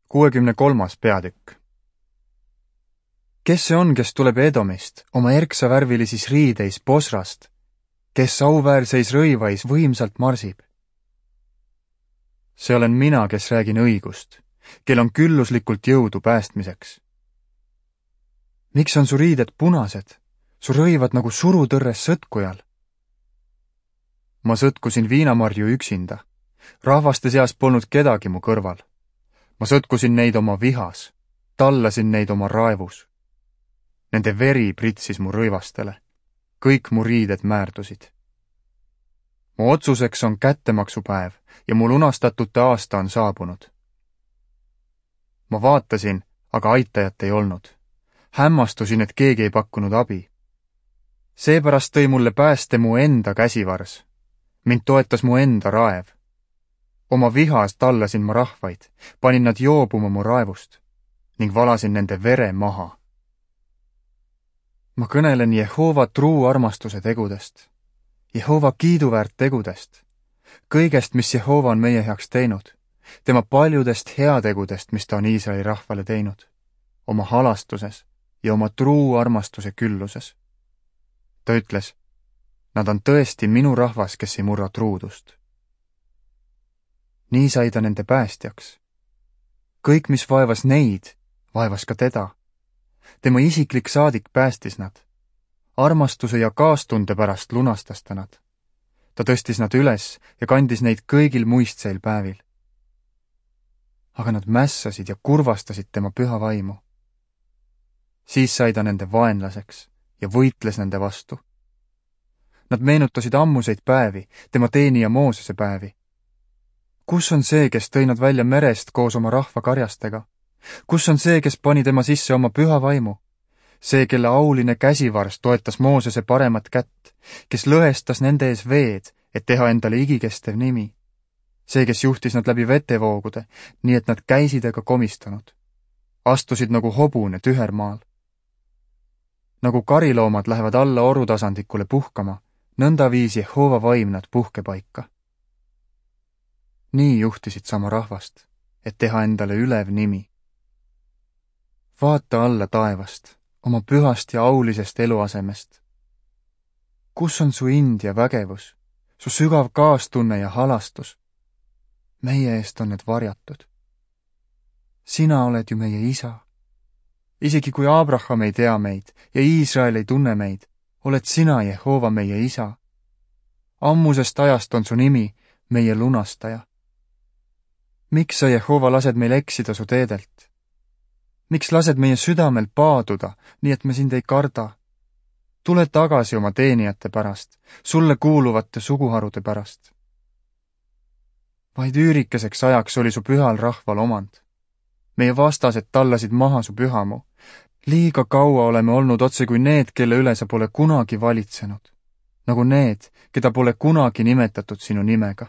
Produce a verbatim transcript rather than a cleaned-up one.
kuuekümne kolmas peatükk. Kes see on, kes tuleb Edomist, oma erksavärvilisis riideis Bosrast, kes auväärseis rõivais võimsalt marsib? See olen mina, kes räägin õigust, kel on külluslikult jõudu päästmiseks. Miks on su riided punased, su rõivad nagu surutõrres sõtkujal? Ma sõtkusin viinamarju üksinda, rahvaste seas polnud kedagi mu kõrval. Ma sõtkusin neid oma vihas, tallasin neid oma raevus. Nende veri pritsis mu rõivastele, kõik mu riided määrdusid. Mu otsuseks on kättemaksupäev ja mu lunastatute aasta on saabunud. Ma vaatasin, aga aitajat ei olnud. Hämmastusin, et keegi ei pakkunud abi. Seepärast tõi mulle pääste mu enda käsivars. Mind toetas mu enda raev. Oma vihas tallasin ma rahvaid, panin nad joobuma mu raevust ning valasin nende vere maha. Ma kõnelen Jehova truu armastuse tegudest, Jehova kiiduväärt tegudest, kõigest, mis Jehova on meie heaks teinud, tema paljudest heategudest, mis ta on Iisraeli rahvale teinud, oma halastuses ja oma truu armastuse külluses. Ta ütles, nad on tõesti minu rahvas, kes ei murra truudust. Nii sai ta nende päästjaks. Kõik, mis vaevas neid, vaevas ka teda. Tema isiklik saadik päästis nad. Armastuse ja kaastunde pärast lunastas ta nad. Ta tõstis nad üles ja kandis neid kõigil muistseil päevil. Aga nad mässasid ja kurvastasid tema püha vaimu. Siis sai ta nende vaenlaseks ja võitles nende vastu. Nad meenutasid ammuseid päevi, tema teenija Moosese päevi. Kus on see, kes tõi nad välja merest koos oma rahva karjastega? Kus on see, kes pani tema sisse oma püha vaimu? See, kelle auline käsivars toetas Moosese paremat kätt, kes lõhestas nende ees veed, et teha endale igikestev nimi. See, kes juhtis nad läbi vetevoogude, nii et nad käisid ega komistanud. Astusid nagu hobune tühermaal. Nagu kariloomad lähevad alla orutasandikule puhkama, nõnda viis Jehova vaim nad puhkepaika. Nii juhtisid sama rahvast, et teha endale ülev nimi. Vaata alla taevast, oma pühast ja aulisest eluasemest. Kus on su ind ja vägevus, su sügav kaastunne ja halastus? Meie eest on need varjatud. Sina oled ju meie isa. Isegi kui Abraham ei tea meid ja Iisrael ei tunne meid, oled sina, Jehova, meie isa. Ammusest ajast on su nimi, meie lunastaja. Miks sa, Jehova, lased meil eksida su teedelt? Miks lased meie südamel paaduda, nii et me sind ei karda? Tule tagasi oma teenijate pärast, sulle kuuluvate suguharude pärast. Vaid üürikeseks ajaks oli su pühal rahval omand. Meie vastased tallasid maha su pühamu. Liiga kaua oleme olnud otse kui need, kelle üle sa pole kunagi valitsenud. Nagu need, keda pole kunagi nimetatud sinu nimega.